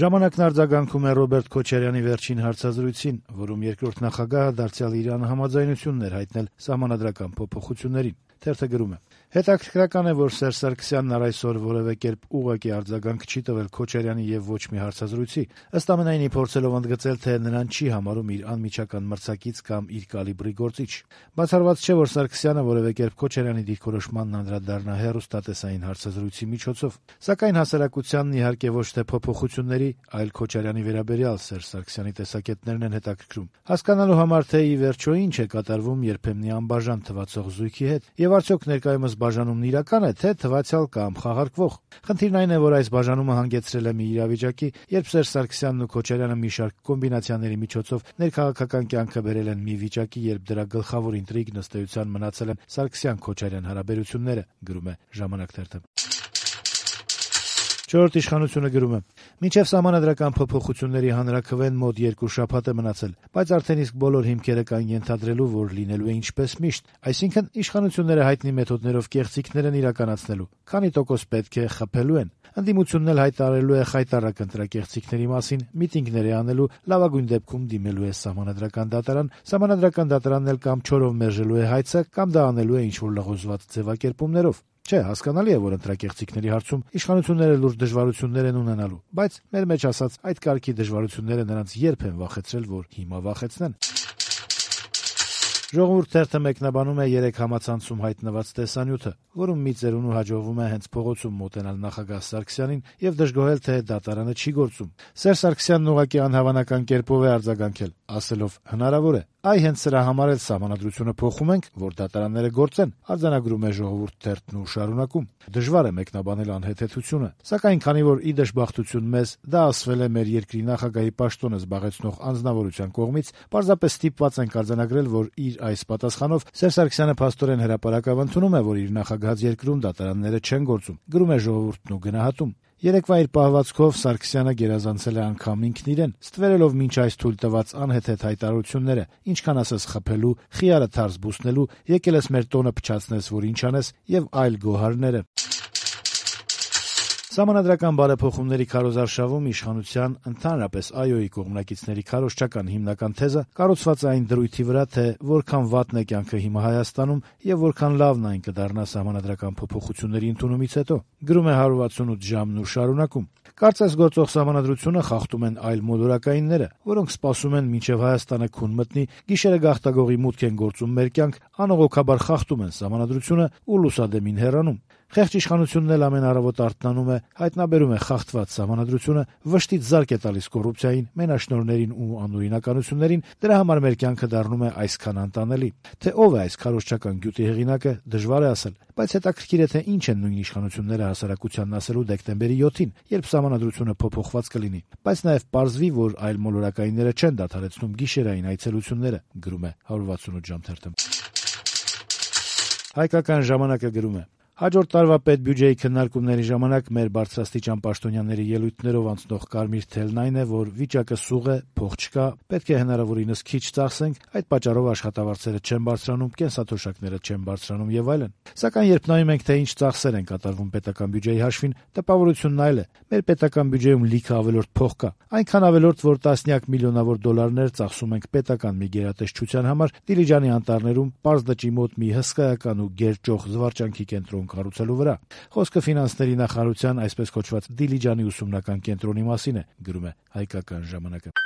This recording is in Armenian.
Ժամանակն արձագանքում է Ռոբերտ Քոչարյանի վերջին հարցազրույցին, որում երկրորդ նախագահը դարձյալ իր անհամաձայնությունն էր հայտնել սահմանադրական փոփոխություններին։ Թերթը գրում է. «Հետաքրքրական է, որ Սերժ Սարգսյանն առ այսօր որևէ կերպ ուղղակի արձագանք չի տվել Քոչարյանի եւ ոչ մի հարցազրույցի, ըստ ամենայնի փորձելով ընդգծել, թե նրան չի համարում իր անմիջական մրցակից կամ իր կալիբրի գործիչ։ Բացառված չէ, որ Սարգսյանը որևէ կերպ Քոչարյանի դիրքորոշմանն անդրադառնա հեռուստատեսային հարցազրույցի միջոցով, սակայն հասարակությանն իհարկե ոչ թե փոփոխությունների, այլ Քոչարյանի վերաբերյալ Սերժ Սարգսյանի տեսակետներն են հետաքրքրում, հասկանալու համար, թե ի վերջո ինչ է կատարվում երբեմնի անբաժան թվացող զույգի հետ, եւ արդյոք ներկայումս բաժանումն իրական է, թե թվացյալ կամ խաղարկվող։ Խնդիրն այն է, որ այս բաժանումը հանգեցրել է մի իրավիճակի, երբ Սերժ Սարգսյանն ու Քոչարյանը մի շարք կոմբինացիաների միջոցով ներքաղաքական կյանքը բերել են մի վիճակի, երբ դրա գլխավոր ինտրիգն ըստ էության մնացել են Սարգսյան-Քոչարյան հարաբերությունները», գրում է «Ժամանակ» թերթը։ Չորրորդ իշխանությունը գրում է. «Մինչև սահմանադրական փոփոխությունների հանրաքվեն մոտ 2 շաբաթ է մնացել, բայց արդեն իսկ բոլոր հիմքերը կան ենթադրելու, որ լինելու է ինչպես միշտ, այսինքն իշխանությունները հայտնի մեթոդներով կեղծիքներ են իրականացնելու, քանի տոկոս պետք է խփելու են, ընդդիմությունն էլ հայտարարելու է խայտառակ ընտրակեղծիքների մասին, միտինգներ է անելու, լավագույն դեպքում դիմելու է սահմանադրական դատարան, սահմանադրական դատարանն էլ կամ չորով մերժելու է հայցը, կամ դա անելու է ինչ-որ լղոզված ձևակերպումներով։ Չէ, հասկանալի է, որ ընտրակեղծիքների հարցում իշխանությունները լուրջ դժվարություններ են ունենալու, բայց մեր մեջ ասած այդ կարգի դժվարությունները նրանց երբ են վախեցրել, որ հիմա վախեցնեն»։ Ժողովուրդ թերթը մեկնաբանում է 3 համացանցում հայտնված տեսանյութը, որում մի ծերունու հաջողվում է հենց փողոցում մոտենալ նախագահ Սարգսյանին եւ դժգոհել, թե դատարանը չի գործում։ Սերժ Սարգսյանն ուղղակի անհավանական կերպով է արձագանքել, ասելով. «Հնարավոր է, այ հենց սրա համար էլ սահմանադրությունը փոխում ենք, որ դատարանները գործեն», արձանագրում է Ժողովուրդ թերթն ու շարունակում. «Դժվար է մեկնաբանել անհեթեթությունը, սակայն քանի որ ի դժբախտություն մեզ դա ասվել է մեր երկրի նախագահի պաշտոնը զբաղեցնող անձնավորության կողմից, պարզապես ստիպված ենք արձանագրել, որ իր այս պատասխանով Սերժ Սարգսյանը փաստորեն հրապարակավ ընդունում է, որ իր նախագահած երկրում դատարանները չեն գործում», գրում է Ժողովուրդն ու գնահատում. «Երեկվա իր պահվածքով Սարգսյանը գերազանցել է անգամ ինքն իրեն, ստվերելով մինչ այս թույլ տված անհեթեթ հայտարարությունները, ինչքան ասես խփելու, խիարը թարս բուսնելու, եկել ես մեր տոնը փչացնես, որ ինչ անես եւ այլ գոհարները»։ Սահմանադրական բարեփոխումների քարոզարշավում իշխանության, ընդհանրապես ԱՅՈ-ի կողմնակիցների քարոզչական հիմնական թեզը կառուցված է այն դրույթի վրա, թե որքան վատն է կյանքը հիմա Հայաստանում եւ որքան լավն այն կդառնա սահմանադրական փոփոխությունների ընդունումից հետո, գրում է 168 ժամն ու շարունակում. «Կարծես գործող սահմանադրությունը խախտում են այլ մոլորակայինները, որոնք սպասում են մինչև Հայաստանը քուն մտնի, գիշերը գաղտագողի մուտք են գործում մեր կյանք, անողոքաբար խախտում են սահմանադրությունը ու լուսադեմին հեռանում։ Խեղճ իշխանությունն էլ ամեն առավոտ արթնանում է, հայտնաբերում է խախտված սահմանադրությունը, վշտից զարկ է տալիս կոռուպցիային, մենաշնորհներին ու անօրինականություններին, դրա համար մեր կյանքը դառնում է այսքան անտանելի։ Թե ով է այս քարոզչական գյուտի հեղինակը, դժվար է ասել, բայց հետաքրքիր է, թե ինչ են նույն իշխանությունները հասարակությանն ասելու դեկտեմբերի 7-ին, երբ սահմանադրությունը փոփոխված կլինի, բայց նաև պարզվի, որ այլ մոլորակայինները չեն դադարեցնում գիշերային այցելությունները», գրում է 168 ժամ թերթը։ Հայկական ժամանակը գրում է. «Հաջորդ տարվա պետբյուջեի քննարկումների ժամանակ մեր բարձրաստիճան պաշտոնյաների ելույթներով անցնող կարմիր թելն այն է, որ վիճակը սուղ է, փող չկա, պետք է հնարավորինս քիչ ծախսենք, այդ պատճառով աշխատավարձերը չեն բարձրանում, կենսաթոշակները չեն բարձրանում եւ այլն։ Սակայն երբ նայում ենք, թե ինչ ծախսեր են կատարվում պետական բյուջեի հաշվին, տպավորությունն այլ է։ Մեր պետական բյուջեում լիքը ավելորդ փող կա, այնքան ավելորդ, որ տասնյակ միլիոնավոր դոլարներ ծախսում ենք պետական մի գերատեսչության համար Դիլիջանի անտառներում պարզ դճի մոտ մի հսկայական ու գերճոխ զվարճանքի կենտրոն կառուցելու վրա։ Խոսքը ֆինանսների նախարարության այսպես կոչված Դիլիջանի ուսումնական կենտրոնի մասին է», գրում է Հայկական ժամանակը։